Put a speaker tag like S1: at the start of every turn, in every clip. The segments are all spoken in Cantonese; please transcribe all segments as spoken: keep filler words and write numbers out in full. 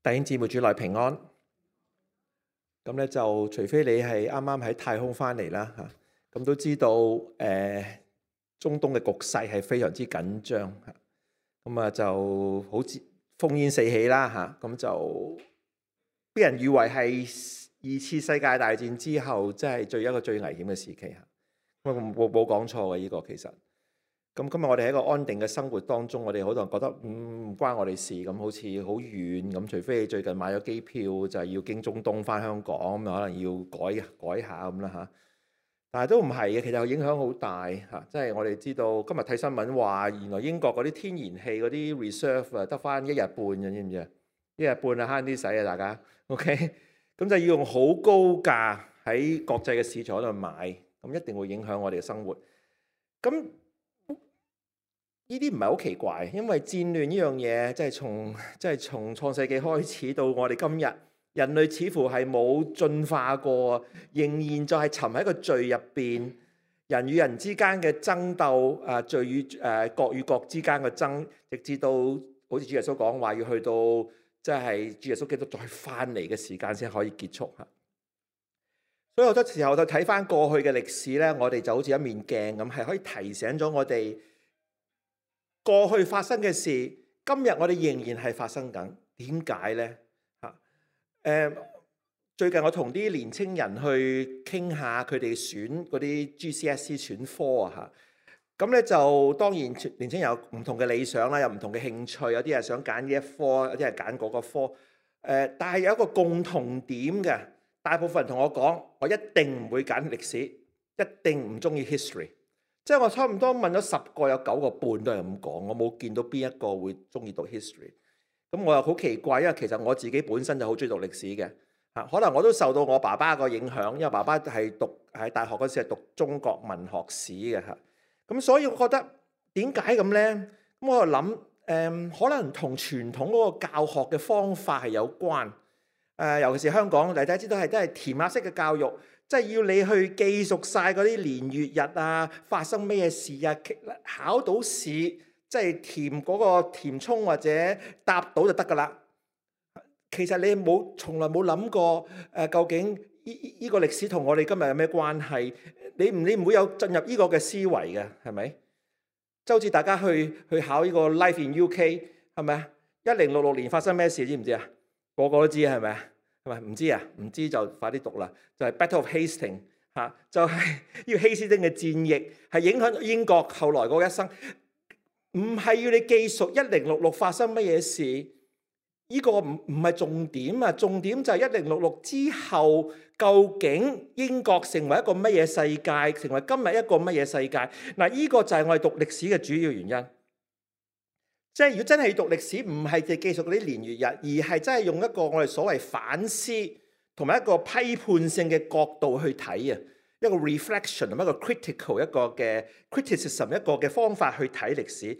S1: 弟兄姊妹主內平安，咁咧就除非你係啱啱喺太空翻嚟啦嚇，咁都知道誒、呃、中東嘅局勢係非常之緊張嚇，咁啊就好似烽煙四起啦嚇，咁就俾人以為係二次世界大戰之後，即係最一個最危險嘅時期嚇，咁冇冇講錯嘅呢個其實。咁今日我哋喺一個安定嘅生活當中，我哋好多人覺得唔、嗯、唔關我哋事咁，好似好遠咁。除非你最近買咗機票，就係要經中東翻香港，咁可能要改改下咁啦嚇。但係都唔係嘅，其實影響好大嚇。即係我哋知道今日睇新聞話，原來英國嗰啲天然氣嗰啲 reserve 啊，得翻一日半嘅，知唔知啊？一日半啊，慳啲使啊，大家 OK。咁就要用好高價喺國際嘅市場度買，咁一定會影響我哋嘅生活。咁呢啲唔係好奇怪，因為戰亂呢樣嘢，即係從即係從創世紀開始到我哋今日，人類似乎係冇進化過，仍然就係沉喺個罪入邊，人與人之間嘅爭鬥，啊罪與誒國與國之間嘅爭，直至到好似主耶穌講話要去到即係主耶穌基督再翻嚟嘅時間先可以結束嚇。所以好多時候就睇翻過去嘅歷史咧，我哋就好似一面鏡咁，係可以提醒咗我哋。過去發生嘅事，今日我哋仍然係發生緊。點解呢？嚇、呃，最近我同啲年青人去傾下佢哋選嗰啲 G C S E 選科啊嚇。咁咧就當然年青人有唔同嘅理想啦，有唔同嘅興趣，有啲係想揀呢一科，有啲係揀嗰個科。誒、呃，但係有一個共同點嘅，大部分人同我講，我一定唔會揀歷史，一定唔中意 history。即係我差唔多問咗十個，有九個半都係咁講，我冇見到邊一個會中意讀 history。咁我又好奇怪，因為其實我自己本身就好中意讀歷史嘅嚇，可能我都受到我爸爸個影響，因為爸爸係讀喺大學嗰時係讀中國文學史嘅嚇。咁所以我覺得點解咁呢？咁我就諗誒，可能同傳統嗰個教學嘅方法係有關。誒，尤其是香港，大家知道係都係填鴨式嘅教育。即係要你去記熟晒嗰啲年月日啊，發生咩事啊，考到試即係填嗰個填充或者答到就得㗎啦。其實你冇從來冇諗過誒，究竟呢呢個歷史同我哋今日有咩關係？你唔你唔會有進入呢個嘅思維嘅，係咪？即係好似大家去去考呢個 Life in U K 係咪啊？一零六六年發生咩事知唔知啊？個個都知係咪啊？係咪唔知啊？唔知就快啲讀啦！就係、是、Battle of Hastings 嚇，就係呢個希斯丁嘅戰役，係影響英國後來嗰一生。唔係要你記熟一零六六發生乜嘢事，呢、這個唔唔係重點啊！重點就係一零六六之後，究竟英國成為一個乜嘢世界，成為今日一個乜嘢世界？嗱，呢個就係我哋讀歷史嘅主要原因。即係如果真係要讀歷史，唔係淨係記述嗰啲年月日，而係真係用一個我哋所謂反思同埋一個批判性嘅角度去睇啊，一個 reflection 同埋一個 critical 一個嘅 criticism 一個嘅方法去睇歷史。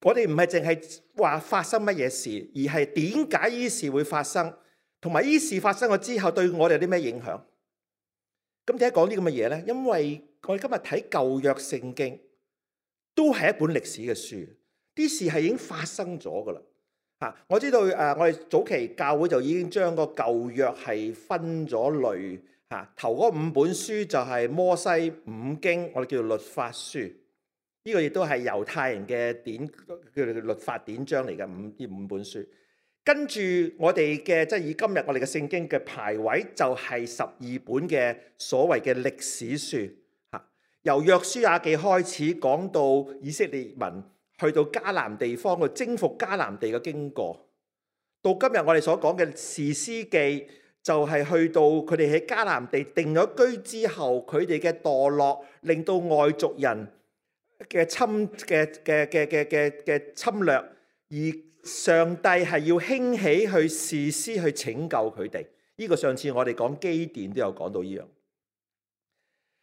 S1: 我哋唔係淨係話發生乜嘢事，而係點解呢事會發生，同埋呢事發生咗之後對我哋有啲咩影響。咁點解講啲咁嘅嘢咧？因為我哋今日睇舊約聖經都係一本歷史嘅書。啲事係已經發生咗噶啦嚇！我知道誒、呃，我哋早期教會就已經將個舊約係分咗類嚇、啊。頭嗰五本書就係摩西五經，我哋叫做律法書。呢、這個亦都係猶太人嘅典叫做律法典章嚟嘅五呢五本書。跟住我哋嘅即係以今日我哋嘅聖經嘅排位就係十二本嘅所謂嘅歷史書嚇、啊。由約書亞記開始講到以色列民去到迦南地方去征服迦南地嘅經過，到今日我哋所講嘅士師記，就係去到佢哋喺迦南地定咗居之後，佢哋嘅墮落，令到外族人嘅侵嘅嘅嘅嘅嘅嘅侵略，而上帝係要興起去士師去拯救佢哋。呢個上次我哋講基甸都有講到呢樣。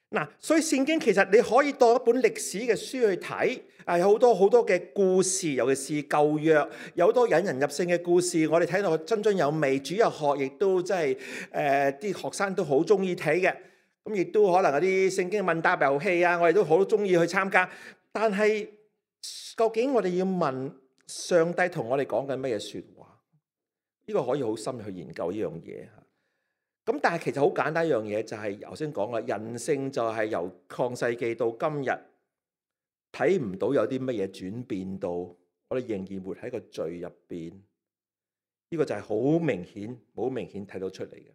S1: 嗱，所以聖經其實你可以當一本歷史嘅書去睇，啊，有好多好多嘅故事，尤其是舊約有好多引人入勝嘅故事，我哋睇到津津有味。主日學亦都真係誒啲學生都好中意睇嘅，咁亦都可能有啲聖經問答遊戲啊，我哋都好中意去參加。但係究竟我哋要問上帝同我哋講緊乜嘢説話？呢個可以好深入去研究呢樣嘢嚇。咁但係其實好簡單一樣嘢，就係頭先講啦，人性就係由創世紀到今日睇唔到有啲乜嘢轉變到，我哋仍然活喺個罪入邊。呢個就係好明顯、好明顯睇到出嚟嘅。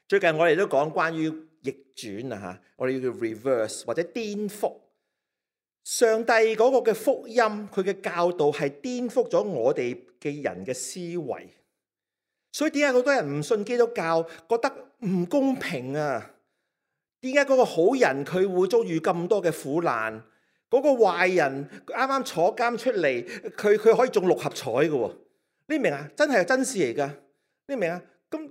S1: 最近我哋都講關於逆轉啊嚇，我哋要叫 reverse 或者顛覆。上帝嗰個嘅福音，佢嘅教導係顛覆咗我哋嘅人嘅思維。所以點解好多人唔信基督教，覺得唔公平啊？點解嗰個好人佢會遭遇咁多嘅苦難？嗰個壞人啱啱坐監出嚟，佢佢可以中六合彩嘅喎？你明啊？真係真事嚟噶，你明啊？咁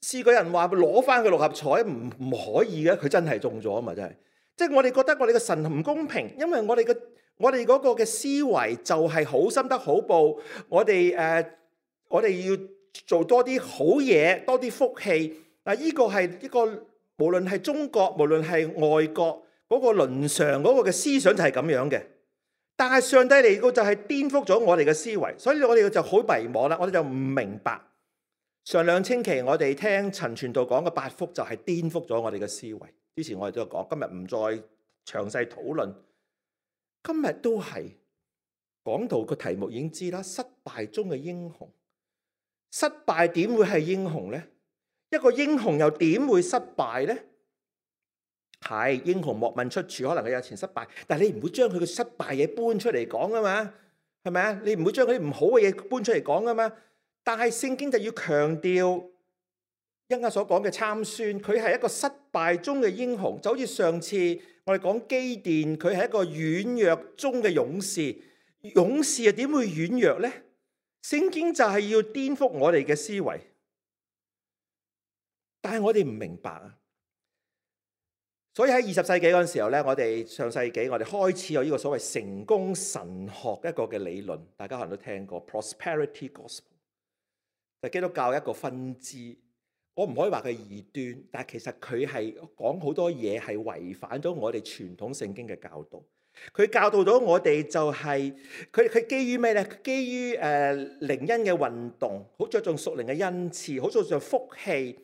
S1: 試過人話攞翻個六合彩唔唔可以嘅，佢真係中咗啊嘛！真係，即係我哋覺得我哋嘅神唔公平，因為我哋嘅我哋嗰個嘅思維就係好心得好報，我哋誒、呃、我哋要做多啲好嘢，多啲福氣。嗱，呢個係一個無論係中國，無論係外國嗰個倫常嗰個嘅思想就係咁樣嘅。但係上帝嚟到就係顛覆咗我哋嘅思維，所以我哋就好迷茫啦，我哋就唔明白。上兩星期我哋聽陳傳道講嘅八福就係顛覆咗我哋嘅思維。之前我哋都有講，今日唔再詳細討論。今日都係講到個題目已經知啦，失敗中嘅英雄。失敗點會係英雄呢？一個英雄又點會失敗呢？係英雄莫問出處，可能佢有前失敗，但係你唔會將佢嘅失敗嘢搬出嚟講啊嘛，係咪啊？你唔會將佢啲唔好嘅嘢搬出嚟講啊嘛。但係聖經就要強調，一啱所講嘅參孫，佢係一個失敗中嘅英雄，就好似上次我哋講基甸，佢係一個軟弱中嘅勇士。勇士又點會軟弱呢？聖經就係要顛覆我哋嘅思維，但係我哋唔明白啊。所以喺二十世紀嗰陣時候咧，我哋上世紀我哋開始有呢個所謂成功神學一個嘅理論，大家可能都聽過 Prosperity Gospel， 就係基督教一個分支。我唔可以話佢係異端，但係其實佢係講好多嘢係違反咗我哋傳統聖經嘅教導。佢教導到我哋就係佢佢基於咩咧？基於誒、呃、靈恩嘅運動，好着重屬靈嘅恩賜，好着重福氣，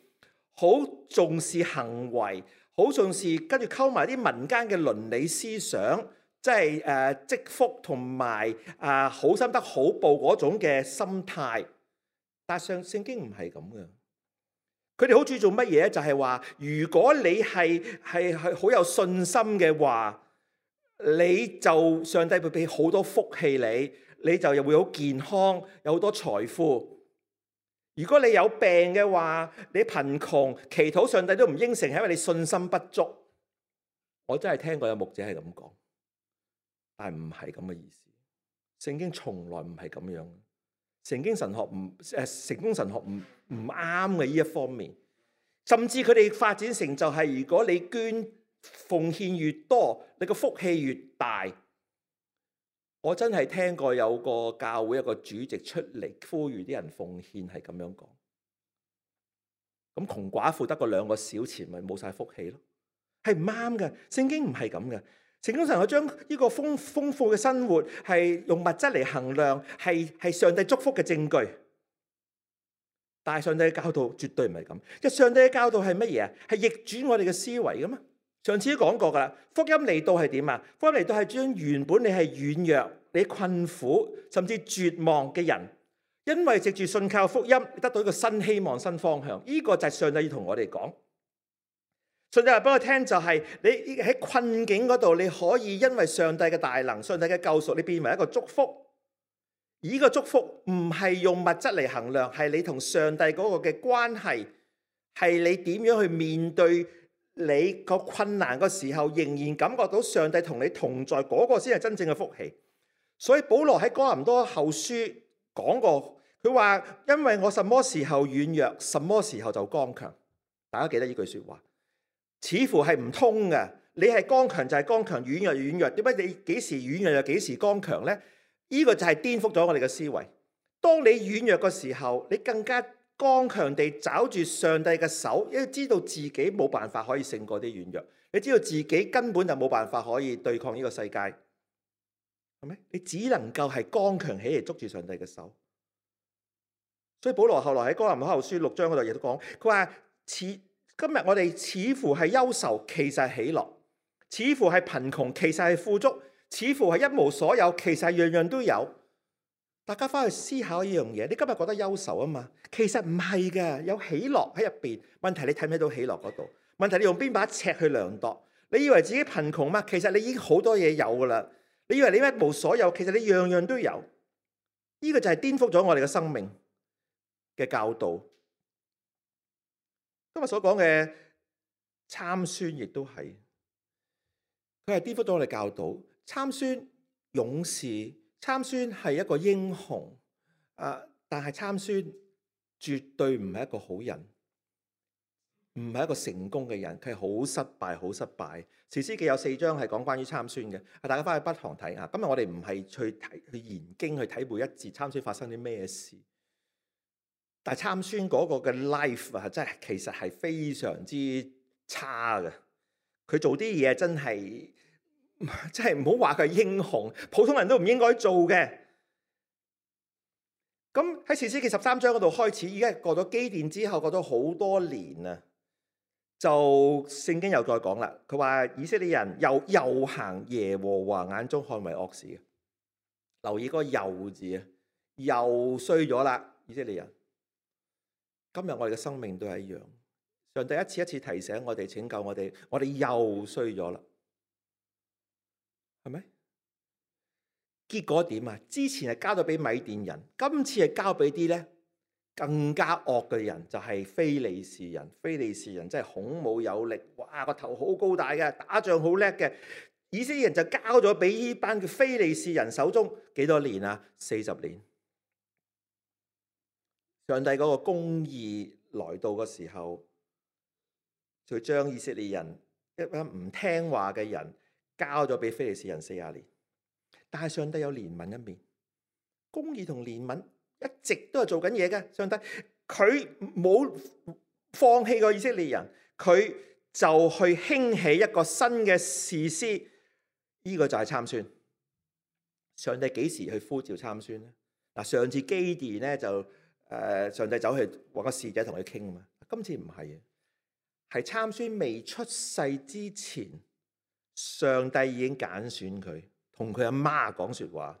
S1: 好重視行為，好重視跟住溝埋啲民間嘅倫理思想，即係誒積福同埋啊好心得好報嗰種嘅心態。但係上聖經唔係咁嘅，佢哋好注重乜嘢咧？就係話，如果你係係係好有信心嘅話，你就上帝會俾好多福氣你，你就又會好健康，有好多財富。如果你有病嘅話，你貧窮，祈禱上帝都唔應承，係因為你信心不足。我真係聽過有牧者係咁講，但係唔係咁嘅意思。聖經從來唔係咁樣。聖經神學唔誒，成功神學唔唔啱嘅呢一方面，甚至佢哋發展成就係，如果你捐奉獻越多，你個福氣越大。我真係聽過有個教會一個主席出嚟呼籲啲人奉獻，係咁樣講。咁窮寡婦得個兩個小錢，咪冇晒福氣咯？係唔啱嘅。聖經唔係咁嘅。成功神學將呢個豐豐富嘅生活係用物質嚟衡量，係係上帝祝福嘅證據。但係上帝嘅教導絕對唔係咁。即係上帝嘅教導係乜嘢啊？係逆轉我哋嘅思維噶嘛？上次都講過噶啦。福音嚟到係點啊？福音嚟到係將原本你係軟弱、你困苦甚至絕望嘅人，因為藉住信靠福音，得到一個新希望、新方向。呢個就係上帝要同我哋講。上帝話俾我聽，就係你喺困境嗰度，你可以因為上帝嘅大能、上帝嘅救贖，你變為一個祝福。而呢個祝福唔係用物質嚟衡量，係你同上帝嗰個嘅關係，係你點樣去面對你個困難嘅時候，仍然感覺到上帝同你同在，嗰個先係真正嘅福氣。所以保羅喺哥林多後書講過，佢話因為我什麼時候軟弱，什麼時候就剛強。大家記得呢句說話。似乎係唔通嘅，你係剛強就係剛強，軟弱軟弱，點解你幾時軟弱又幾時剛強呢？呢個就係顛覆咗我哋嘅思維。當你軟弱嘅時候，你更加剛強地抓住上帝嘅手，因為知道自己冇辦法可以勝過啲軟弱，你知道自己根本就冇辦法可以對抗呢個世界，係咪？你只能夠係剛強起嚟捉住上帝嘅手。所以保羅後來喺哥林多後書六章嗰度亦都講，佢話似今日我哋似乎係憂愁，其實係喜樂；似乎係貧窮，其實係富足；似乎係一無所有，其實係樣樣都有。大家翻去思考一樣嘢，你今日覺得憂愁啊嘛？其實唔係嘅，有喜樂喺入邊。問題你睇唔睇到喜樂嗰度？問題你用邊把尺去量度？你以為自己貧窮嗎？其實你已經好多嘢有噶啦。你以為你一無所有，其實你樣樣都有。呢個就係顛覆咗我哋嘅生命嘅教導。今日所講嘅參孫亦都係，佢係顛覆咗我哋教導。參孫勇士，參孫係一個英雄，啊！但係參孫絕對唔係一個好人，唔係一個成功嘅人，佢係好失敗，好失敗。士師記有四章係講關於參孫嘅，大家翻去不妨睇下。今日我哋唔係去睇去研經去睇每一節參孫發生啲咩事，但係參孫嗰個嘅 life 啊，真係其實係非常之差嘅。佢做啲嘢真係真係唔好話佢係英雄，普通人都唔應該做嘅。咁喺士師記十三章嗰度開始，已經過咗基甸之後，過咗好多年啊。就聖經又再講啦，佢話以色列人又又行耶和華眼中看為惡事嘅，留意嗰個又字啊，又衰咗啦，以色列人。今日我哋嘅生命都係一樣，上帝一次一次提醒我哋，拯救我哋，我哋又衰咗啦，係咪？結果點啊？之前係交咗俾米甸人，今次係交俾啲咧更加惡嘅人，就係非利士人。非利士人真係孔武有力，哇，個頭好高大嘅，打仗好叻嘅。以色列人就交咗俾呢班嘅非利士人手中，幾多年啊？四十年。上帝嗰個公義來到嘅時候，就將以色列人一班唔聽話嘅人交咗俾非利士人四十年。但係上帝有憐憫一面，公義同憐憫一直都係做緊嘢嘅。上帝佢冇放棄過以色列人，佢就去興起一個新嘅士師，呢、這個就係參孫。上帝幾時去呼召參孫咧？嗱，上次基甸咧就誒，上帝走去揾個使者同佢傾啊嘛。今次唔係啊，係參孫未出世之前，上帝已經揀選佢，同佢阿媽講說話。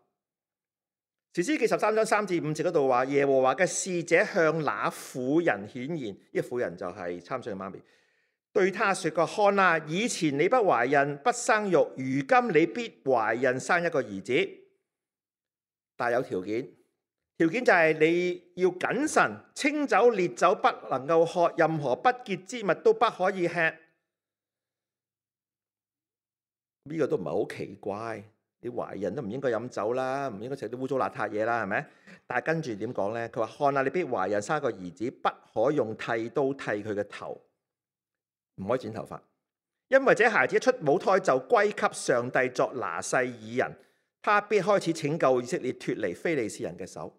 S1: 士師記十三章三至五節嗰度話，耶和華嘅使者向那婦人顯現，呢、這個婦人就係參孫嘅媽咪，對他說過：看啊，以前你不懷孕不生育，如今你必懷孕生一個兒子，但有條件，條件就係你要謹慎，清酒烈酒不能夠喝，任何不潔之物都不可以吃。呢、這個都唔係好奇怪。你懷孕都唔應該飲酒啦，唔應該食啲污糟邋遢嘢啦，係咪？但係跟住點講咧？佢話：看啊，你必懷孕生個兒子，不可用剃刀剃佢嘅頭，唔可以剪頭髮，因為這孩子一出母胎就歸給上帝作拿細耳人，他必開始拯救以色列脫離非利士人嘅手。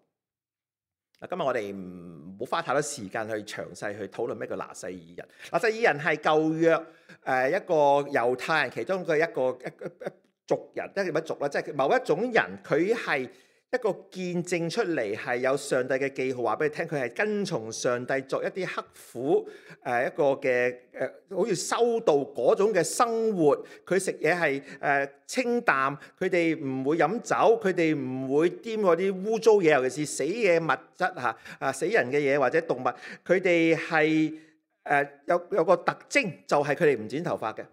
S1: 今日我哋唔好花太多時間去詳細去討論咩叫拿細耳人。拿細耳人係舊約誒一個猶太人其中嘅一個一一。一族人，即係乜族啦？即係某一種人，佢係一個見證出嚟，係有上帝嘅記號，話俾你聽，佢係跟從上帝作一啲刻苦誒一個嘅誒，好似修道嗰種嘅生活。佢食嘢係誒清淡，佢哋唔會飲酒，佢哋唔會掂嗰啲污糟嘢，尤其是死嘅物質嚇啊，死人嘅嘢或者動物。佢哋係誒有有個特徵，就係佢哋唔剪頭髮嘅，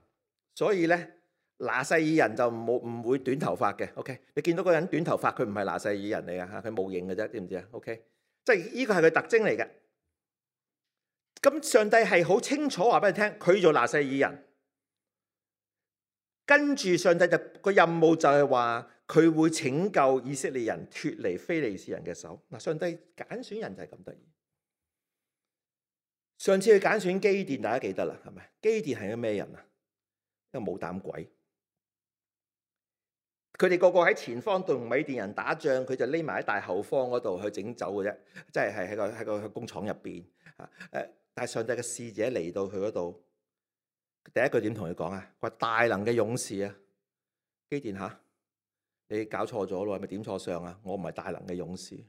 S1: 所以咧。拿細耳人就冇唔會短頭髮嘅 ，OK？ 你見到個人短頭髮，佢唔係拿細耳人嚟嘅嚇，佢冇型嘅啫，知唔知啊 ？OK？ 即係呢個係佢特徵嚟嘅。咁上帝係好清楚話俾你聽，佢做拿細耳人，跟住上帝就個任務就係話佢會拯救以色列人脫離非利士人嘅手。嗱，上帝揀選人就係咁得意。上次去揀選基甸，大家記得啦，係咪？基甸係個咩人啊？一個冇膽鬼。佢哋個個喺前方同米甸人打仗，佢就匿埋喺大後方嗰度去整酒嘅啫，即係係喺個喺個工廠入邊啊！誒，但係上帝嘅使者嚟到佢嗰度，第一句點同佢講啊？佢話大能嘅勇士啊，基甸嚇，你搞錯咗咯，係咪點錯相啊？我唔係大能嘅勇士，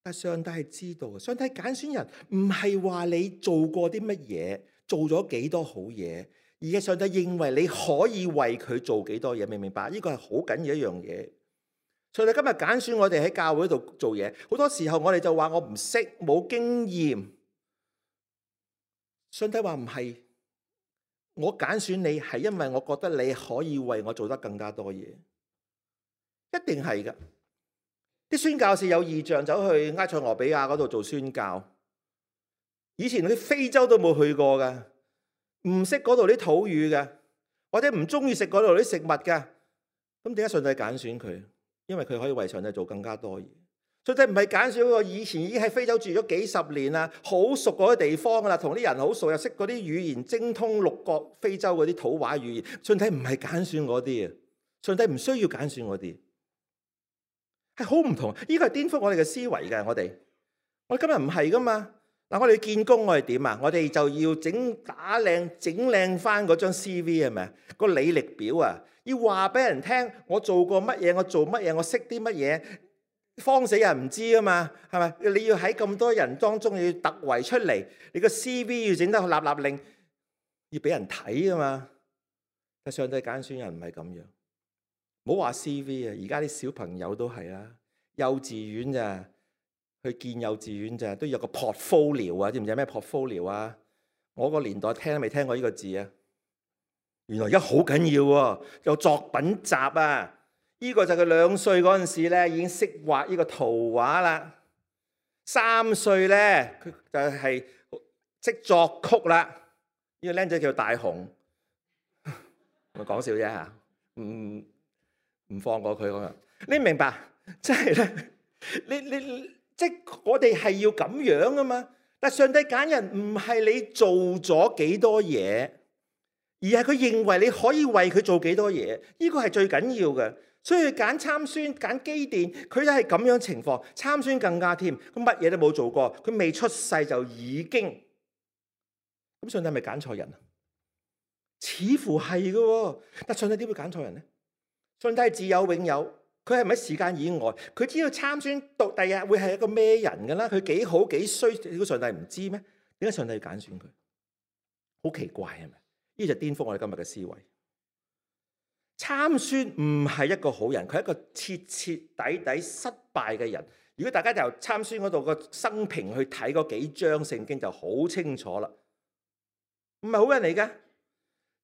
S1: 但上帝係知道嘅。上帝揀選人唔係話你做過啲乜嘢，做咗幾多好嘢，而係上帝認為你可以為佢做幾多嘢，明唔明白？呢個係好緊要一樣嘢。上帝今日揀選我哋喺教會度做嘢，好多時候我哋就話我唔識，冇經驗。上帝話唔係，我揀選你係因為我覺得你可以為我做得更加多嘢，一定係噶。啲宣教士有異象，走去埃塞俄比亞嗰度做宣教，以前啲非洲都冇去過噶，唔識嗰度啲土語嘅，或者唔中意食嗰度啲食物嘅，咁點解上帝揀選佢？因為佢可以為上帝做更加多嘢。上帝唔係揀選嗰個以前已經喺非洲住咗幾十年啦，好熟嗰啲地方噶啦，同啲人好熟，又識嗰啲語言，精通六國非洲嗰啲土話語言。上帝唔係揀選嗰啲啊，上帝唔需要揀選嗰啲，係好唔同。呢個係顛覆我哋嘅思維嘅。我哋我哋今日唔係噶嘛。嗱，我哋見工我哋點啊？我哋就要整打靚整靚翻嗰張 C V 係咪啊？個履歷表啊，要話俾人聽我做過乜嘢，我做乜嘢，我識啲乜嘢。慌死人唔知啊嘛，係咪？你要喺咁多人當中要突圍出嚟，你個 C V 要整得立立令，要俾人睇啊嘛。但上帝揀選人唔係咁樣，唔好話 C V 啊，而家啲小朋友都係啦，幼稚園咋，去見幼稚園咋，都有個 portfolio 啊，知唔知咩 portfolio 啊？我個年代聽都未聽過呢個字啊，原來而家好緊要喎，有作品集啊。呢個就係佢兩歲嗰陣時咧，已經識畫呢個圖畫啦。三歲咧，佢就係識作曲啦。呢個僆仔叫大雄，我講笑啫嚇，唔唔放過佢咁樣。你明白？即係咧，你你即係我哋係要咁樣啊嘛。但上帝揀人唔係你做咗幾多嘢，而係佢認為你可以為佢做幾多嘢。呢個係最緊要嘅。所以揀參孫、揀基甸，佢都係咁樣情況。參孫更加添，佢乜嘢都冇做過，佢未出世就已經。咁上帝係咪揀錯人啊？似乎係嘅，但上帝點會揀錯人呢？上帝係自有永有，佢係咪喺時間以外？佢知道參孫到第日會係一個咩人㗎啦？佢幾好幾衰，呢個上帝唔知咩？點解上帝要揀選佢？好奇怪係咪？呢就顛覆我哋今日嘅思維。參孫唔係一個好人，佢係一個徹徹底底失敗嘅人。如果大家由參孫嗰度個生平去睇嗰幾章聖經就好清楚啦，唔係好人嚟㗎，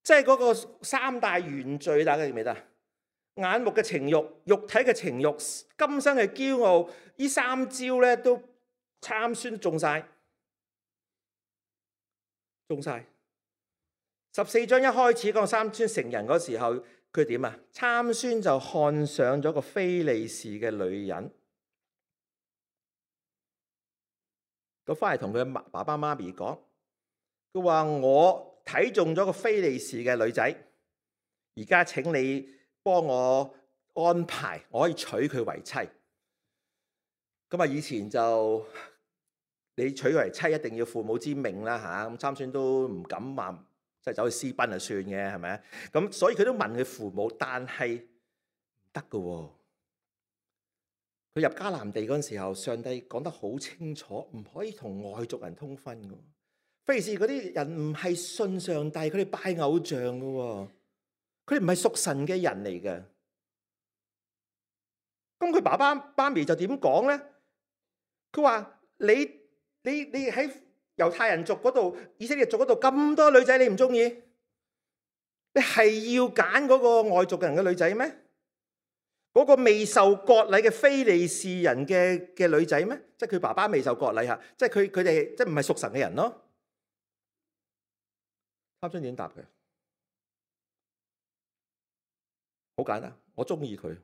S1: 即係嗰個三大原罪，大家記唔記得？眼目嘅情慾、肉體嘅情慾、今生嘅驕傲，呢三招咧都參孫中晒，中晒。十四章一開始講參孫成人嗰時候。佢點啊？參孫就看上咗個非利士嘅女人，佢翻嚟同佢爸爸媽咪講，佢話我睇中咗個非利士嘅女仔，而家請你幫我安排，我可以娶佢為妻。咁啊，以前就你娶佢為妻一定要父母之命啦吓，咁參孫都唔敢話。即係走去私奔就算嘅，係咪啊？咁所以佢都問佢父母，但係唔得㗎喎。佢入迦南地嗰陣時候，上帝講得好清楚，唔可以同外族人通婚㗎。非利士嗰啲人唔係信上帝，佢哋拜偶像㗎喎，佢哋唔係屬神嘅人嚟嘅。咁佢爸爸媽咪就點講咧？佢話你你你喺猶太人族嗰度、以色列族嗰度咁多女仔，你唔中意？你係要揀嗰個外族人嘅女仔咩？嗰、嗰個未受割禮嘅非利士人嘅嘅女仔咩？即係佢爸爸未受割禮嚇，即係佢佢哋即係唔係屬神嘅人咯？參孫點答佢？好簡單，我中意佢，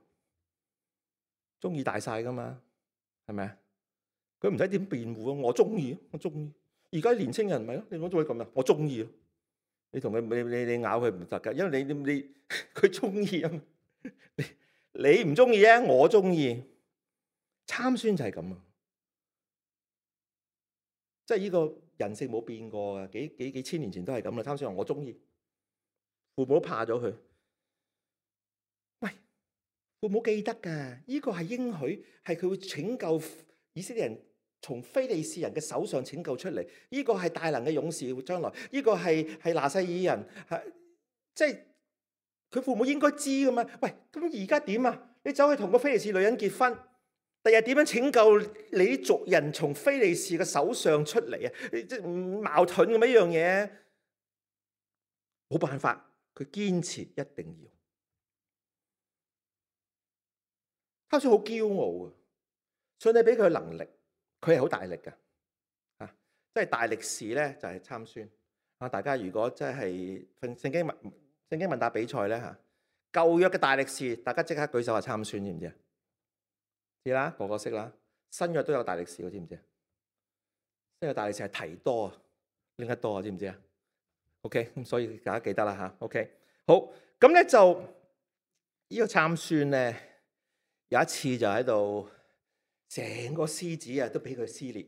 S1: 中意大晒噶嘛，係咪啊？佢唔使點辯護啊！我中意，我中意。而家年青人咪咯，你講做咩咁啊？我中意咯。你同佢你你你咬佢唔得噶，因為你你你佢中意啊嘛。你你唔中意啊，我中意。參孫就係咁啊，即係呢個人性冇變過啊，幾幾幾千年前都係咁啦。參孫話我中意，父母都怕咗佢。喂，父母記得噶，呢個係應許，係佢會拯救以色列人從非利士人嘅手上拯救出嚟，呢個係大能嘅勇士，將來呢個係係拿細耳人，係即係佢父母應該知噶嘛？喂，咁而家點啊？你走去同個非利士女人結婚，第日點樣拯救你啲族人從非利士嘅手上出嚟啊？即係矛盾咁一樣嘢，冇辦法，佢堅持一定要。他好似好驕傲啊！上帝俾佢能力，佢係好大力㗎，啊！即係大力士咧就係參孫啊！大家如果真係聖經問聖經問答比賽咧嚇，舊約嘅大力士，大家即刻舉手話參孫，知唔知啊？知啦，個個識啦。新約都有大力士，知唔知啊？新約大力士係提多啊，拎得多啊，知唔知啊 ？OK， 咁所以大家記得啦嚇。OK， 好，咁咧就呢個參孫咧，有一次就喺度，成個獅子啊都俾佢撕裂，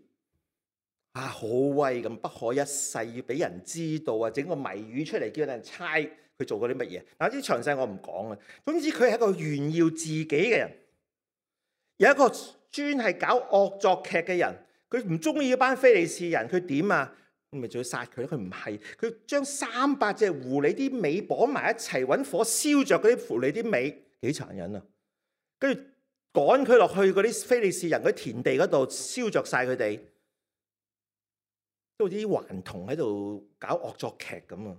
S1: 啊好威咁，不可一世，要俾人知道啊，整個謎語出嚟叫人猜佢做過啲乜嘢。嗱，啲詳細我唔講啊。總之佢係一個炫耀自己嘅人，有一個專係搞惡作劇嘅人，佢唔中意嗰班非利士人，佢點啊？咪仲要殺佢？佢唔係，佢將三百隻狐狸啲尾綁埋一齊，揾火燒着嗰啲狐狸啲尾，幾殘忍啊！跟住趕佢落去嗰啲非利士人嗰啲田地嗰度，燒着晒佢哋，都好似啲頑童喺度搞惡作劇咁啊！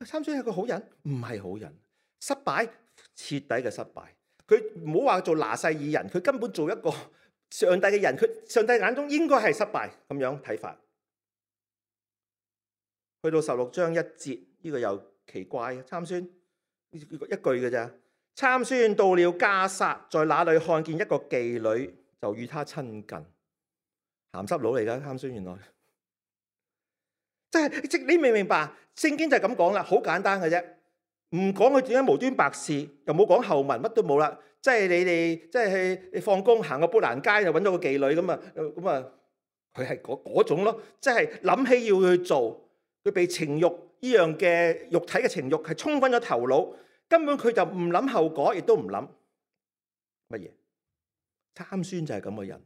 S1: 參孫係個好人？唔係好人，失敗，徹底嘅失敗。佢唔好話做拿細耳人，佢根本做一個上帝嘅人，佢上帝眼中應該係失敗咁樣睇法。去到十六章一節，呢、這個又奇怪，參孫一句嘅咋？參孫到了迦薩，在那裏看見一個妓女，就與她親近。鹹濕佬嚟噶參孫，原來即係即你明唔明白？聖經就係咁講啦，好簡單嘅啫，唔講佢點解無端白事，又冇講後文，乜都冇啦。即係你哋即係你放工行個砵蘭街就揾到個妓女咁啊，咁啊，佢係嗰嗰種咯，即係諗起要去做。佢被情慾呢樣嘅肉體嘅情慾係沖昏咗頭腦，根本佢就唔諗後果，亦都唔諗乜嘢。參孫就係咁嘅人，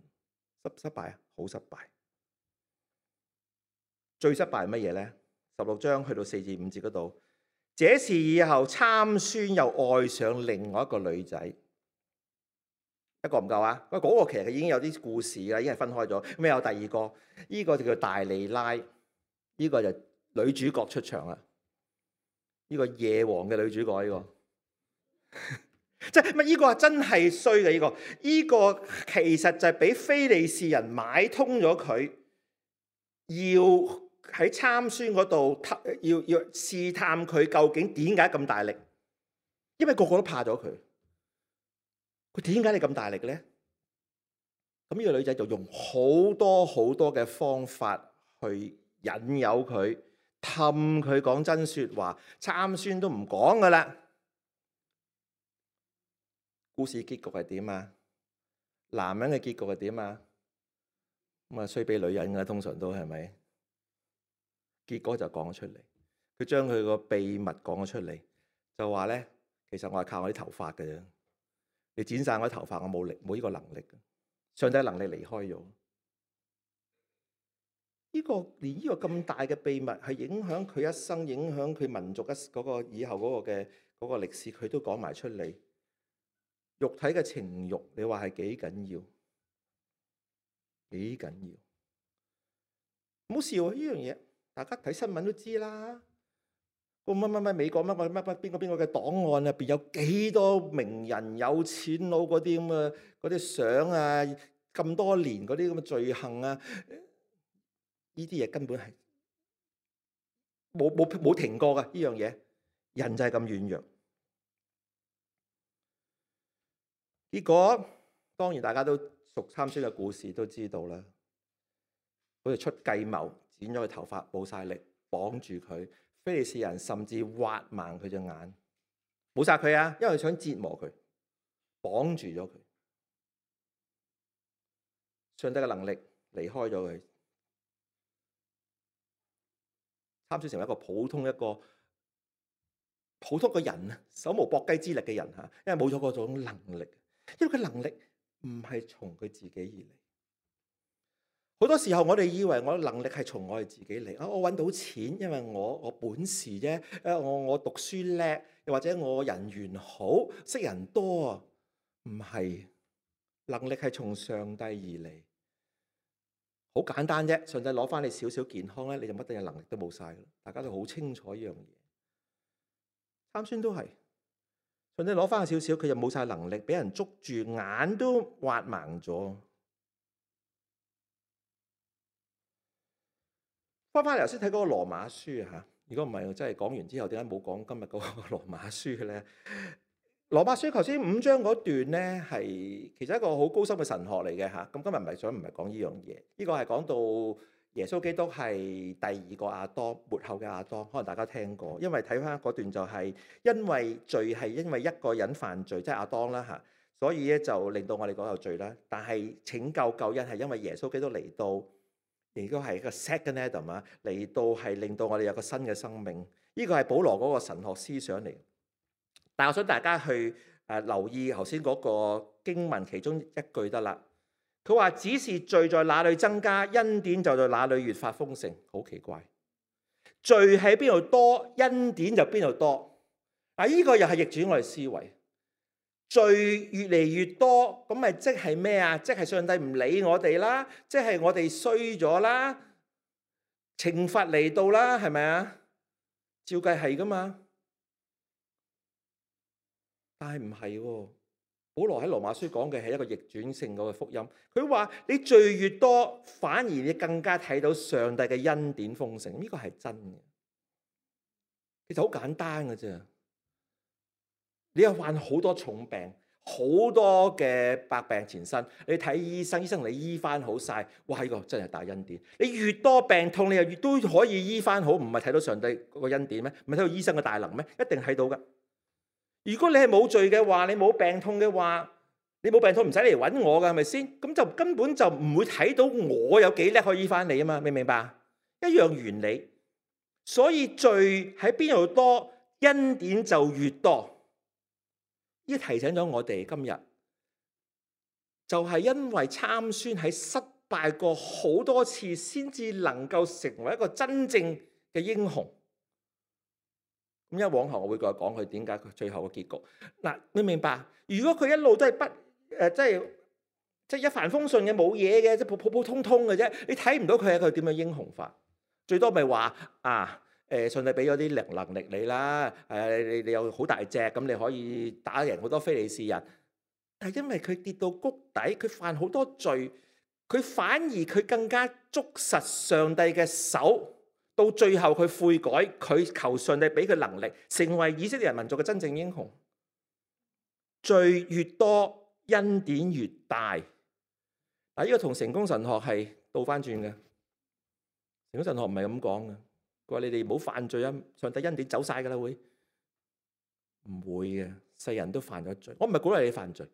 S1: 失失敗啊，好失敗。最失敗係乜嘢咧？十六章去到四至五節嗰度，這事以後參孫又愛上另外一個女仔，一個唔夠啊！嗰、嗰個其實已經有啲故事啦，已經係分開咗。咁有第二個，呢、這個就叫大利拉，呢、這個就女主角出場啦。呢、這個夜王嘅女主角呢、這個，即係乜？呢個真係衰嘅呢個，呢、這個其實就係俾非利士人買通咗佢，要喺參孫嗰度要要試探佢究竟點解咁大力，因為個個都怕咗佢。佢點解你咁大力嘅咧？咁呢個女仔就用好多好多嘅方法去引誘佢，氹佢講真說話。參孫都唔講噶啦。故事結局係點啊？男人嘅結局係點啊？咁啊衰俾女人噶，通常都係咪？結果就講咗出嚟，佢將佢個秘密講咗出嚟，就話咧，其實我係靠我啲頭髮嘅啫。你剪晒我啲頭髮，我冇力，冇呢個能力。上帝能力離開咗。呢個連呢個咁大嘅秘密係影響佢一生，影響佢民族一嗰個以後嗰個嘅嗰個歷史，佢都講埋出嚟。肉體嘅情慾，你話係幾緊要？幾緊要？唔好笑啊！呢樣嘢，大家睇新聞都知啦。個乜乜乜美國乜乜乜乜邊個邊個嘅檔案入邊有幾多名人有錢佬嗰啲咁嘅嗰啲相啊，咁多年嗰啲咁嘅罪行啊，呢啲嘢根本係冇冇冇停過㗎。呢樣嘢，人就係咁軟弱。結果當然大家都熟參孫嘅故事都知道啦，好似出計謀，剪咗佢頭髮，冇晒力，綁住佢。非利士人甚至挖盲佢隻眼，冇殺佢啊，因為想折磨佢，綁住咗佢。上帝嘅能力離開咗佢，參孫成為一個普通一個普通嘅人啊，手無縛雞之力嘅人吓，因為冇咗嗰種能力，因為佢能力唔係從佢自己而嚟。好多時候我哋以為我能力係從我哋自己嚟，啊，我揾到錢，因為我我本事啫，誒，我我讀書叻，又或者我人緣好，識人多啊，唔係，能力係從上帝而嚟，好簡單啫。上帝攞翻你少少健康咧，你就乜嘢能力都冇晒噶啦。大家都好清楚呢樣嘢。參孫都係，上帝攞翻少少，佢就冇晒能力，俾人捉住，眼都挖盲咗。翻翻嚟頭先睇嗰個羅馬書啊，如果唔係我真係講完之後，點解冇講今日嗰個羅馬書嘅咧？羅馬書頭先五章嗰段咧，係其實一個好高深嘅神學嚟嘅嚇。咁今日唔係想唔係講呢樣嘢，呢個係講到耶穌基督係第二個亞當，末後嘅亞當，可能大家聽過。因為睇翻嗰段就係因為罪係因為一個人犯罪，即係亞當啦嚇，所以咧就令到我哋講有罪啦。但係拯救救恩係因為耶穌基督嚟到。亦都係一個 second Adam 啊，嚟到係令到我哋有個新嘅生命。呢個係保羅嗰個神學思想嚟。但係我想大家去誒留意頭先嗰個經文其中一句得啦。佢話只是罪在哪裏增加，恩典就在哪裏越發豐盛。好奇怪，罪喺邊度多，恩典就邊度多。啊，呢個又係逆轉我哋思維。罪越嚟越多，咁咪即係咩啊？即係上帝唔理我哋啦，即係我哋衰咗啦，懲罰嚟到啦，係咪啊？照計係噶嘛，但係唔係喎。保羅喺羅馬書講嘅係一個逆轉性嗰個福音。佢話你罪越多，反而你更加睇到上帝嘅恩典豐盛，呢個係真嘅。其實好簡單嘅啫。你又患好多重病，好多嘅百病纏身，你睇醫生，醫生你醫翻好晒，哇！呢個真係大恩典。你越多病痛，你又越都可以醫翻好，唔係睇到上帝嗰個恩典咩？唔係睇到醫生嘅大能咩？一定睇到噶。如果你係冇罪嘅話，你冇病痛嘅話，你冇病痛唔使嚟揾我噶，係咪先？咁就根本就唔會睇到我有幾叻可以醫翻你啊嘛，明唔明白？一樣原理。所以罪喺邊度多，恩典就越多。呢提醒咗我哋今日，就係因為參孫喺失敗過好多次，先至能夠成為一個真正嘅英雄。咁一往後我會再講佢點解佢最後嘅結局。嗱，你明白？如果佢一路都係不誒，即係即係一帆風順嘅，冇嘢嘅，即係普普普通通嘅啫，你睇唔到佢係一個點樣英雄法。最多咪話啊。誒，上帝俾咗啲能能力你啦，誒，你你有好大隻，咁你可以打贏好多非利士人。但係因為佢跌到谷底，佢犯好多罪，佢反而佢更加捉實上帝嘅手，到最後佢悔改，佢求上帝俾佢能力，成為以色列人民族嘅真正英雄。罪越多，恩典越大。嗱，呢個同成功神學係倒翻轉嘅，成功神學唔係咁講嘅。佢話你哋唔好犯罪啊！上帝恩典走晒噶啦，會唔會嘅？世人都犯咗罪，我唔係鼓勵你犯罪，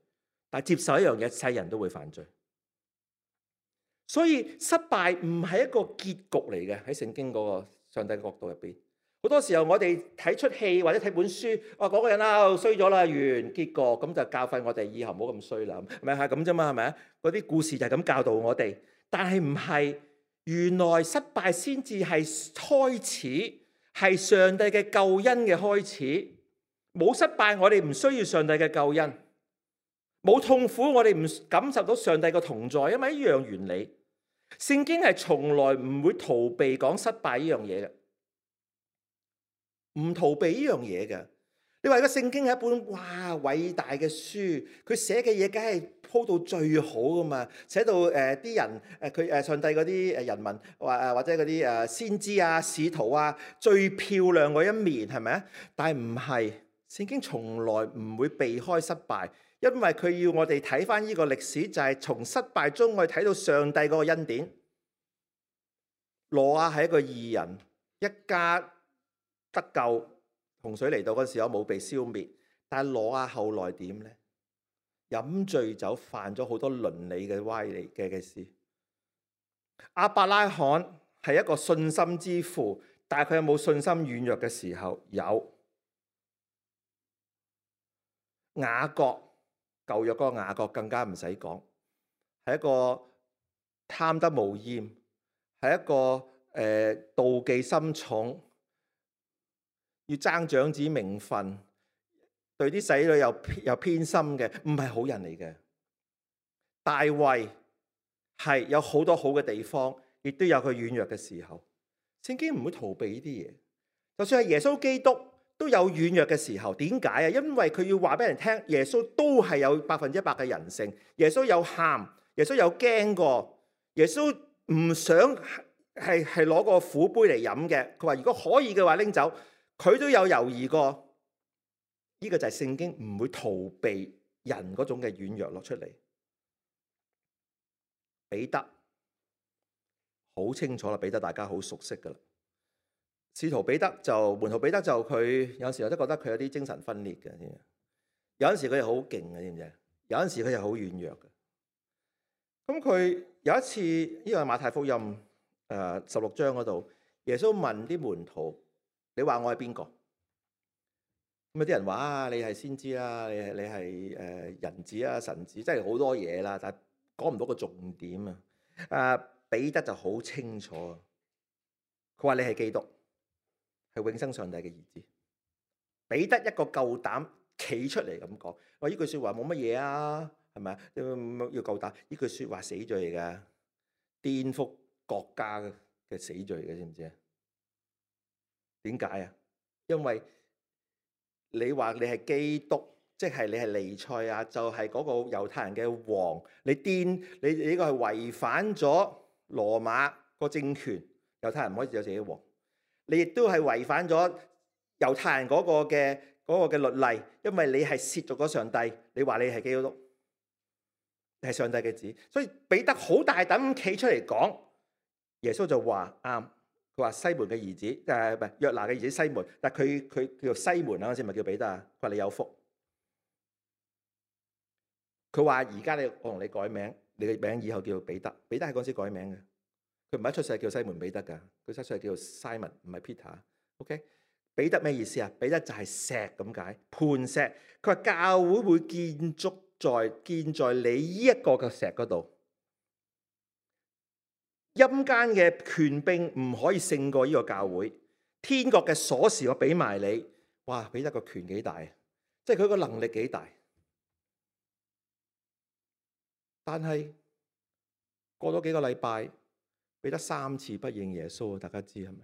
S1: 但係接受一樣嘢，世人都會犯罪。所以失敗唔係一個結局嚟嘅，喺聖經嗰個上帝嘅角度入邊。好多時候我哋睇出戲或者睇本書，哇，嗰個人啊衰咗啦，完結局，咁就教訓我哋以後唔好咁衰啦，咪係咁啫嘛，係咪啊？嗰啲故事就係咁教導我哋，但係唔係。原來失敗先至係開始，係上帝嘅救恩嘅開始。冇失敗，我哋唔需要上帝嘅救恩；冇痛苦，我哋唔感受到上帝嘅同在，因為一樣原理。聖經係從來唔會逃避講失敗呢樣嘢嘅，唔逃避呢樣嘢嘅。你話個聖經係一本哇偉大嘅書，佢寫嘅嘢梗係鋪到最好噶嘛，寫到誒啲、呃、人誒佢誒上帝嗰啲誒人民或誒或者嗰啲誒先知啊使徒啊最漂亮嗰一面係咪啊？但係唔係，聖經從來唔會避開失敗，因為佢要我哋睇翻呢個歷史，就係從失敗中我哋睇到上帝嗰個恩典。挪亞係一個義人，一家得救。洪水嚟到嗰時候冇被消滅，但係挪亞後來點呢？飲醉酒，犯咗好多倫理嘅歪理嘅嘅事。亞伯拉罕係一個信心之父，但係佢有冇信心軟弱嘅時候？有。雅各，舊約嗰個雅各更加唔使講，係一個貪得無厭，係一個誒、呃、妒忌心重，要爭長子名分，對啲仔女又又偏心嘅，唔係好人嚟嘅。大衛係有好多好嘅地方，亦都有佢軟弱嘅時候。聖經唔會逃避呢啲嘢，就算係耶穌基督都有軟弱嘅時候。點解啊？因為佢要話俾人聽，耶穌都係有百分之一百嘅人性。耶穌有喊，耶穌有驚過，耶穌唔想係係攞個苦杯嚟飲嘅。佢話如果可以嘅話拎走，佢都有猶豫過。呢個就係聖經唔會逃避人嗰種嘅軟弱落出嚟。彼得好清楚啦，彼得大家好熟悉噶啦。使徒彼得就門徒彼得就佢有陣時我都覺得佢有啲精神分裂嘅，有陣時佢又好勁嘅，知唔知？有陣時佢又好軟弱嘅。咁佢有一次呢個係馬太福音誒十六章嗰度，耶穌問啲門徒：你話我係邊個？咁有啲人話啊，你係先知啦，你係你係誒人子啊，神子，即係好多嘢啦，但係講唔到個重點啊！誒彼得就好清楚，佢話你係基督，係永生上帝嘅兒子。彼得一個夠膽企出嚟咁講，話呢句説話冇乜嘢啊，係咪啊？要夠膽，呢句説話死罪嚟㗎，顛覆國家嘅死罪嘅，知唔知啊？點解啊？因為你話你係基督，即係你係彌賽亞，就係嗰個猶太人嘅王。你顛你你呢個係違反咗羅馬個政權，猶太人唔可以有自己嘅王。你亦都係違反咗猶太人嗰個嘅嗰個嘅律例，因為你係褻瀆咗上帝。你話你係基督，係上帝嘅子，所以彼得好大膽企出嚟講。耶穌就話啱。佢話西門嘅兒子，誒唔係約拿嘅兒子西門，但係佢佢叫做西門啊，嗰陣時咪叫彼得啊。佢話你有福。佢話而家你我同你改名，你嘅名以後叫做彼得。彼得係嗰陣時改名嘅，佢唔係一出世叫西門彼得㗎，佢出世叫做 Simon，唔係 Peter。OK， 彼得咩意思啊？彼得就係石咁解，磐石。佢話教會會建築在建在你呢一個嘅石嗰度。陰間嘅權柄唔可以勝過呢個教會，天國嘅鎖匙我俾埋你。哇！彼得個權幾大，即係佢個能力幾大。但係過咗幾個禮拜，彼得三次不認耶穌，大家知係咪？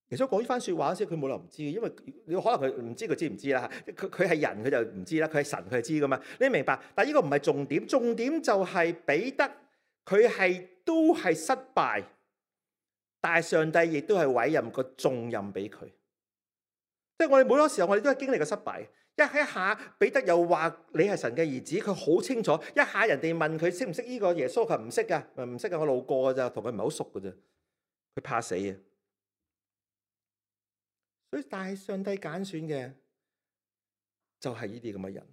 S1: 耶穌講呢番説話先，佢冇理由唔知嘅，因為你可能佢唔知佢知唔知啦。佢佢係人，佢就唔知啦。佢係神，佢係知噶嘛。你明白？但係呢個唔係重點，重點就係彼得。佢係都係失敗，但係上帝亦都係委任個重任俾佢。即係我哋每個時候，我哋都係經歷過失敗。一一下彼得又話你係神嘅兒子，佢好清楚。一下人哋問佢識唔識呢個耶穌，佢唔識噶，唔識噶，我路過噶咋，同佢唔係好熟噶咋。佢怕死啊！所以但係上帝揀選嘅就係呢啲咁嘅人。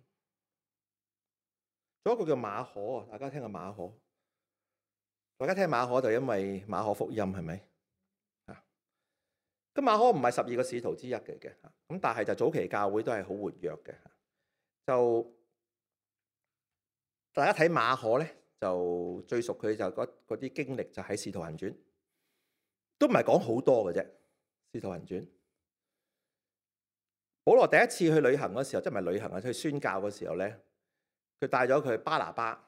S1: 仲有一個叫馬可啊，大家聽下馬可。大家聽馬可就因為馬可福音係咪啊？咁馬可唔係十二個使徒之一嚟嘅，咁但係就早期教會都係好活躍嘅。就大家睇馬可咧，就最熟佢就嗰嗰啲經歷就喺《使徒行傳》，都唔係講好多嘅啫。《使徒行傳》，保羅第一次去旅行嗰時候，即係唔係旅行啊？去宣教嗰時候咧，佢帶咗佢巴拿巴。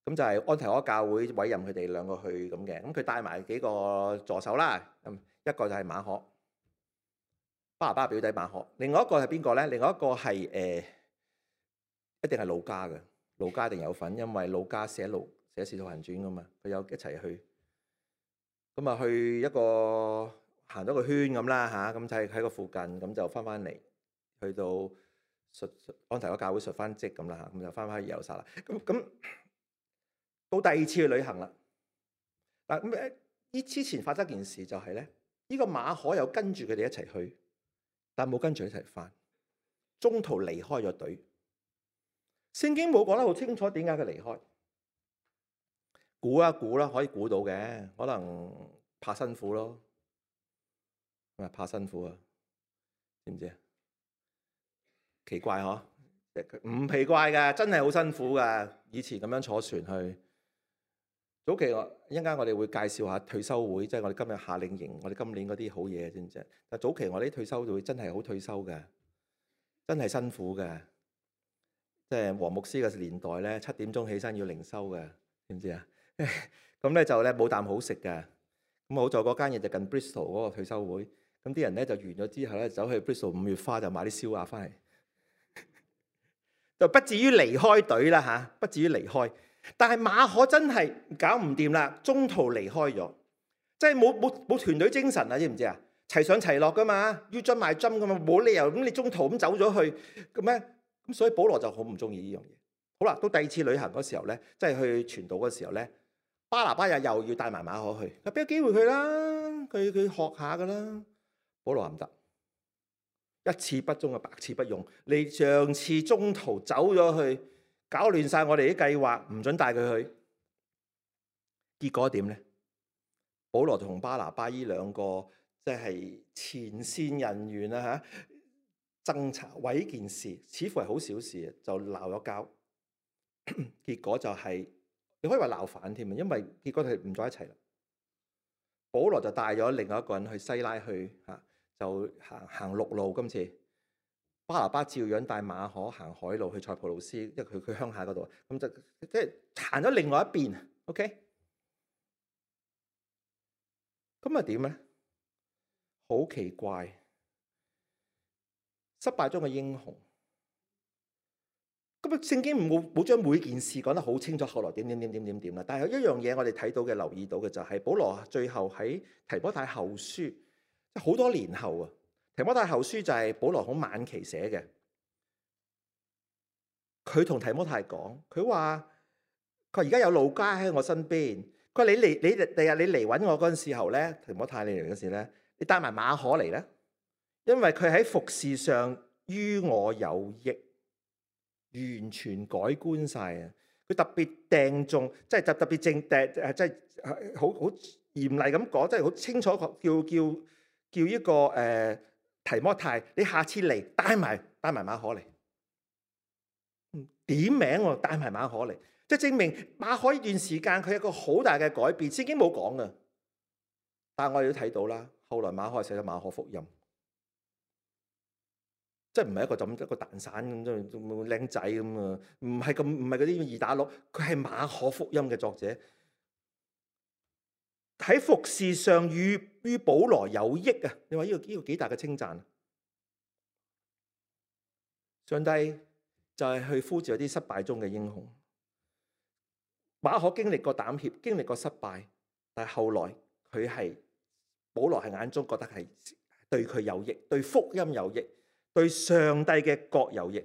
S1: 咁就係安提阿教會委任佢哋兩個去咁嘅，咁佢帶埋幾個助手啦，咁一個就係馬可，巴拿巴表弟馬可，另外一個係邊個咧？另外一個係誒、呃，一定係路加嘅，路加一定有份，因為路加寫路寫使徒行傳噶嘛，佢有一齊去，咁啊去一個行咗個圈咁啦嚇，咁就係喺個附近，咁就翻翻嚟，去到述安提阿教會述翻職咁啦嚇，咁就翻翻去耶路撒冷，咁咁。到第二次去旅行啦，嗱咁誒，呢之前發生件事就係咧，呢個馬可又跟住佢哋一齊去，但冇跟住一齊翻，中途離開咗隊。聖經冇講得好清楚點解佢離開，估一估啦，可以估到嘅，可能怕辛苦咯，係咪怕辛苦啊？知唔知啊？奇怪嗬，唔奇怪㗎，真係好辛苦㗎。以前咁樣坐船去，早期我一陣間我哋會介紹下退休會，即係我哋今日夏令營，我哋今年嗰啲好嘢知唔知？但早期我哋啲退休會真係好退休嘅，真係辛苦嘅。即係黃牧師嘅年代咧，七點鐘起身要靈修嘅，知唔知啊？咁咧就咧冇啖好食嘅。咁好在嗰間嘢就近 Bristol 嗰個退休會，咁啲人咧就完咗之後咧，走去 Bristol 五月花就買啲燒鴨翻嚟。就不至於離開隊啦嚇，不至於離開。但係馬可真係搞唔掂啦，中途離開咗，即係冇冇冇團隊精神啊！知唔知啊？齊上齊落噶嘛，要樽埋樽噶嘛，冇理由咁你中途咁走咗去咁咩？咁所以保羅就好唔中意呢樣嘢。好啦，到第二次旅行嗰時候咧，即係去傳道嗰時候咧，巴拿巴又又要帶埋馬可去，俾個機會佢啦，佢佢學下噶啦。保羅唔得。一次不忠啊，百次不用。你上次中途走咗去，搞亂晒我哋啲計劃，唔准帶佢去。結果點呢？保羅同巴拿巴呢兩個即係前線人員啊吓，爭吵為呢件事，似乎係好小事，就鬧咗交。結果就係、是、你可以話鬧反添啊，因為結果佢唔再一齊啦。保羅就帶咗另外一個人去西拉去吓。就行行陸路，今次巴拿巴照樣帶馬可行海路去塞浦路斯，因為佢佢鄉下嗰度，咁就即係行咗另外一邊。OK，咁啊點咧？好奇怪，失敗中嘅英雄。咁啊，聖經冇冇將每件事講得好清楚，後來點點點點點點啦。但係有一樣嘢我哋睇到嘅、留意到嘅就係、是、保羅最後喺提摩太後書。好多年後啊，提摩太後書就係保羅好晚期寫嘅。佢同提摩太講，佢話佢而家有路加喺我身邊。佢話你嚟，你第日你嚟揾我嗰陣時候咧，提摩太你嚟嗰時咧，你帶埋馬可嚟咧，因為佢喺服事上於我有益，完全改觀晒啊！佢特別掟中，即係特特別正掟誒，即係好好嚴厲咁講，即係好清楚叫叫。叫一個誒、呃、提摩太，你下次嚟帶埋帶埋馬可嚟，點名喎，帶埋馬可嚟，即係證明馬可呢段時間佢有一個好大嘅改變，聖經冇講㗎，但係我哋都睇到啦。後來馬可寫咗馬可福音，即係唔係一個咁一個蛋散咁，即係靚仔咁啊？唔係咁，唔係嗰啲二打六，佢係馬可福音嘅作者。喺服事上與於保羅有益啊！你話呢個呢個幾大嘅稱讚？上帝就係去呼召啲失敗中嘅英雄。馬可經歷過膽怯，經歷過失敗，但係後來佢係保羅係眼中覺得係對佢有益，對福音有益，對上帝嘅國有益。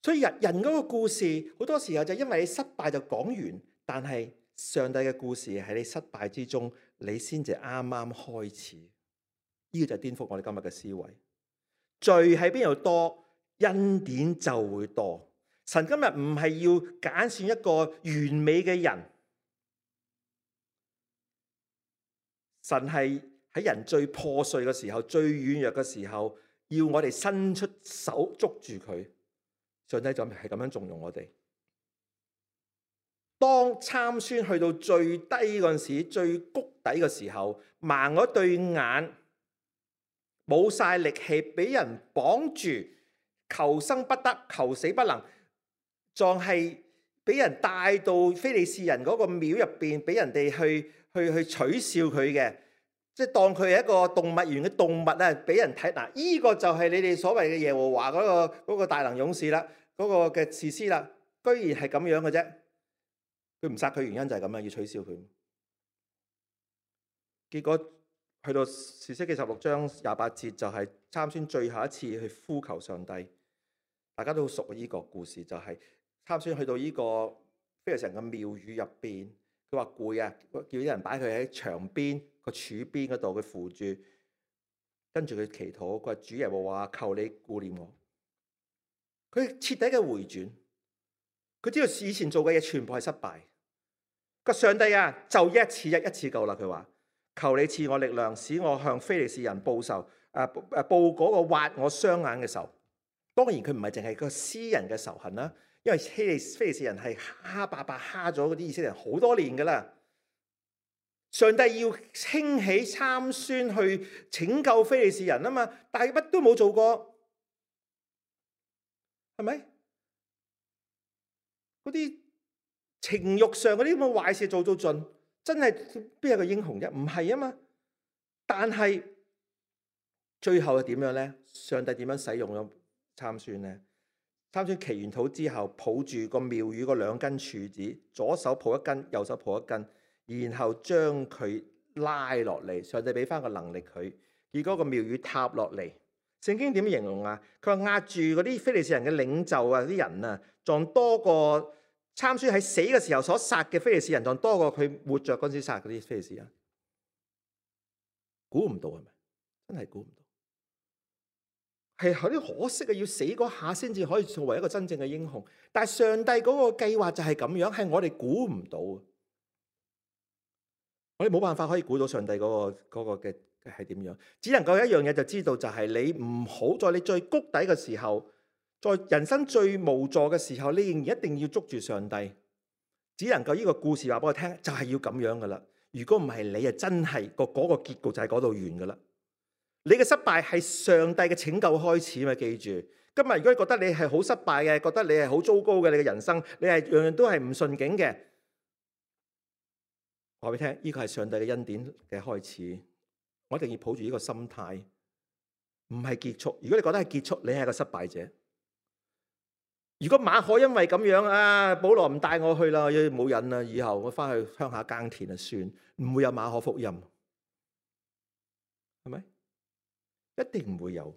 S1: 所以人人嗰個故事好多時候就因為你失敗就講完。但係上帝嘅故事喺你失敗之中，你先至啱啱開始。呢個就係顛覆我哋今日嘅思維。罪喺邊度多，恩典就會多。神今日唔係要揀選一個完美嘅人，神係喺人最破碎嘅時候、最軟弱嘅時候，要我哋伸出手捉住佢。上帝就係咁樣縱容我哋。當參孫去到最低嗰陣時，最谷底嘅時候，盲咗對眼，冇晒力氣，俾人綁住，求生不得，求死不能，仲係俾人帶到非利士人嗰個廟入邊，俾人哋去去去取笑佢嘅，即係當佢係一個動物園嘅動物啊！俾人睇嗱，呢個就係你哋所謂嘅耶和華嗰個嗰個大能勇士啦，嗰個嘅士師啦，居然係咁樣嘅啫。佢唔殺佢原因就係咁樣，要取笑佢。結果去到士師記十六章廿八節，就係參孫最後一次去呼求上帝。大家都好熟呢個故事，就係參孫去到呢個非利士人嘅廟宇入邊，佢話攰啊，叫啲人擺佢喺牆邊個柱邊嗰度，佢扶住，跟住佢祈禱，佢話主耶和華，求你顧念我。佢徹底嘅回轉，佢知道以前做嘅嘢全部係失敗。個上帝啊，就一次一一次夠啦。佢話求你賜我力量，使我向非利士人報仇，誒誒報嗰個挖我雙眼嘅仇。當然佢唔係淨係個私人嘅仇恨啦，因為非利非利士人係蝦霸霸蝦咗嗰啲以色列人好多年噶啦。上帝要興起參孫去拯救非利士人啊嘛，但係乜都冇做過，係咪？嗰啲情慾上嗰啲咁嘅壞事做到盡，真係邊有個英雄啫？唔係啊嘛。但係最後係點樣咧？上帝點樣使用咗參孫咧？參孫祈完禱之後，抱住個廟宇嗰兩根柱子，左手抱一根，右手抱一根，然後將佢拉落嚟。上帝俾翻個能力佢，結果個廟宇塌落嚟。聖經點形容啊？佢話壓住嗰啲非利士人嘅領袖啊，啲人啊，仲多過參孫喺死嘅時候所殺嘅非利士人，仲多過佢活着嗰陣時殺嗰啲非利士人。估唔到係咪？真係估唔到。係有啲可惜啊！要死嗰下先至可以作為一個真正嘅英雄。但係上帝嗰個計劃就係咁樣，係我哋估唔到。我哋冇辦法可以估到上帝嗰個嗰個嘅係點樣。只能夠一樣嘢就知道，就係你唔好在你最谷底嘅時候，在人生最無助嘅時候，你仍然一定要捉住上帝。只能夠呢個故事話俾我聽，就係要咁樣噶啦。如果唔係，你啊真係個嗰個結局就喺嗰度完噶啦。你嘅失敗係上帝嘅拯救開始嘛？記住，今日如果你覺得你係好失敗嘅，覺得你係好糟糕嘅，你嘅人生你係樣樣都係唔順境嘅，話俾你聽，呢個係上帝嘅恩典嘅開始。我一定要抱住呢個心態，唔係結束。如果你覺得係結束，你係個失敗者。如果馬可因為咁樣啊，保羅唔帶我去啦，冇癮啦，以後我翻去鄉下耕田啊，算，唔會有馬可福音，係咪？一定唔會有。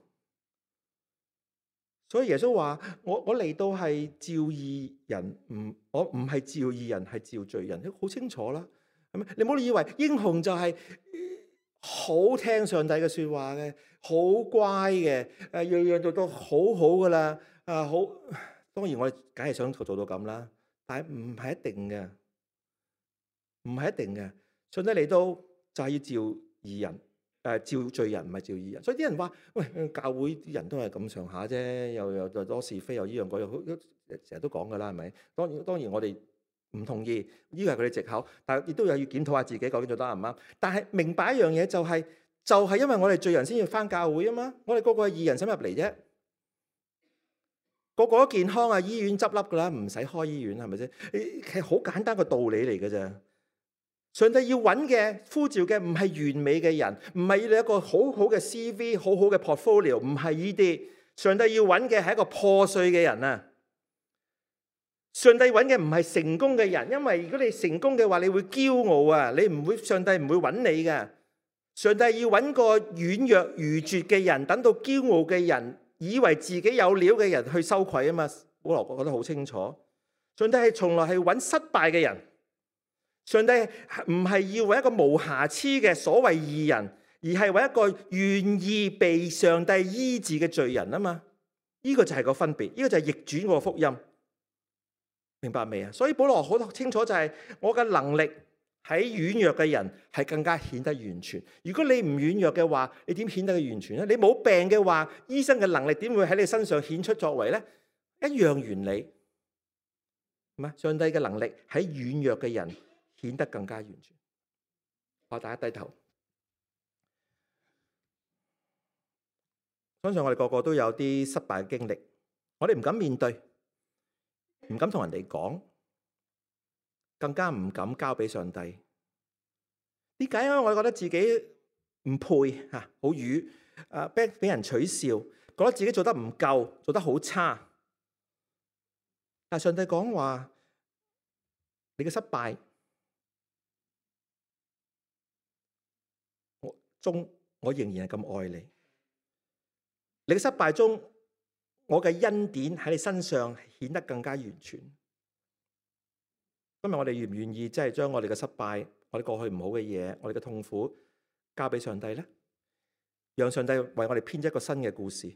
S1: 所以耶穌話：我我嚟到係召義人，唔我唔係召義人，係召罪人，好清楚啦。係咪？你唔好以為英雄就係好聽上帝嘅說話嘅，好乖嘅，誒樣樣做到好好噶啦。啊好，當然我哋梗係想做到咁啦，但係唔係一定嘅，唔係一定嘅。上帝嚟到就係要召義人。誒召罪人唔係召義人，所以啲人話：喂，教會啲人都係咁上下啫，又又又多是非，又依樣嗰樣，成日都講噶啦，係咪？當然當然我哋唔同意，呢個係佢哋藉口，但係亦都有要檢討下自己究竟做得啱唔啱。但係明白一樣嘢就係，就係因為我哋罪人先要返教會啊嘛，我哋個個係義人，使入嚟啫？個個都健康啊，醫院執笠噶啦，唔使開醫院係咪先？其實好簡單個道理嚟嘅啫。上帝要揾嘅呼召嘅唔係完美嘅人，唔係要你一個好好嘅 C V、好好嘅 portfolio， 唔係呢啲。上帝要揾嘅係一個破碎嘅人啊！上帝揾嘅唔係成功嘅人，因為如果你成功嘅話，你會驕傲啊！你唔會，上帝唔會揾你嘅。上帝要揾個軟弱愚拙嘅人，等到驕傲嘅人，以為自己有料嘅人去羞愧啊嘛！保羅覺得好清楚，上帝係從來係揾失敗嘅人。上帝唔係要為一個無瑕疵嘅所謂義人，而係為一個願意被上帝醫治嘅罪人啊嘛！呢個就係個分別，呢個就係逆轉個福音，明白未啊？所以保羅好清楚就係我嘅能力喺軟弱嘅人係更加顯得完全。如果你唔軟弱嘅話，你點顯得佢完全咧？你冇病嘅話，醫生嘅能力點會喺你身上顯出作為咧？一樣原理，係嘛？上帝嘅能力喺軟弱嘅人顯得更加完全。我大家低頭，相信我哋個個都有啲失敗嘅經歷，我哋唔敢面對，唔敢同人哋講，更加唔敢交俾上帝。點解啊？我覺得自己唔配吓，好瘀，誒，俾俾人取笑，覺得自己做得唔夠，做得好差。但上帝講話，你嘅失敗中，我仍然係咁愛你。你嘅失敗中，我嘅恩典喺你身上顯得更加完全。今日我哋願唔願意，即係將我哋嘅失敗、我哋過去唔好嘅嘢、我哋嘅痛苦交俾上帝咧？讓上帝為我哋編一個新嘅故事。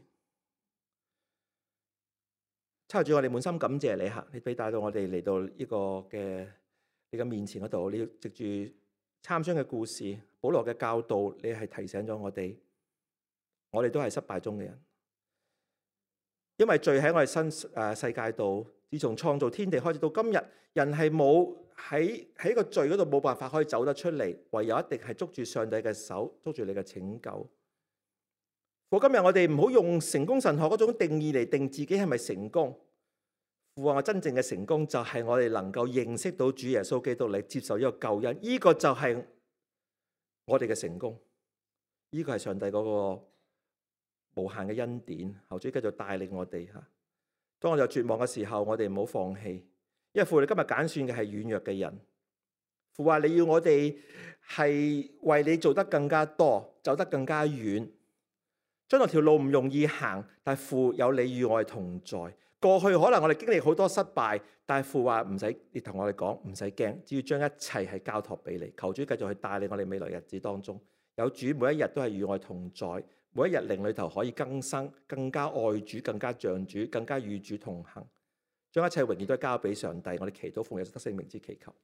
S1: 抽住我哋滿心感謝你吓，你俾帶到我哋嚟到呢個嘅你嘅面前嗰度，你要藉住參孫嘅故事、保羅嘅教導，你係提醒咗我哋，我哋都係失敗中嘅人，因為罪喺我哋新誒世界度，自從創造天地開始到今日，人係冇喺喺個罪嗰度冇辦法可以走得出嚟，唯有一定係捉住上帝嘅手，捉住你嘅拯救。我今日我哋唔好用成功神學嗰種定義嚟定自己係咪成功。父啊，我真正嘅成功就係我哋能夠認識到主耶穌基督嚟接受呢個救恩，呢個就係我哋嘅成功。呢個係上帝嗰個無限嘅恩典，求主繼續帶領我哋吓。當我哋有絕望嘅時候，我哋唔好放棄，因為父你今日揀選嘅係軟弱嘅人。父話你要我哋係為你做得更加多，走得更加遠。將來條路唔容易行，但係父有你與我哋同在。過去可能我哋經歷好多失敗，但係父話唔使，你同我哋講唔使驚，只要將一切係交託俾你。求主繼續去帶領我哋未來日子當中，有主每一日都係與我哋同在，每一日靈裏頭可以更新，更加愛主，更加像主，更加與主同行，將一切榮耀都交俾上帝。我哋祈禱奉耶穌得勝名之祈求。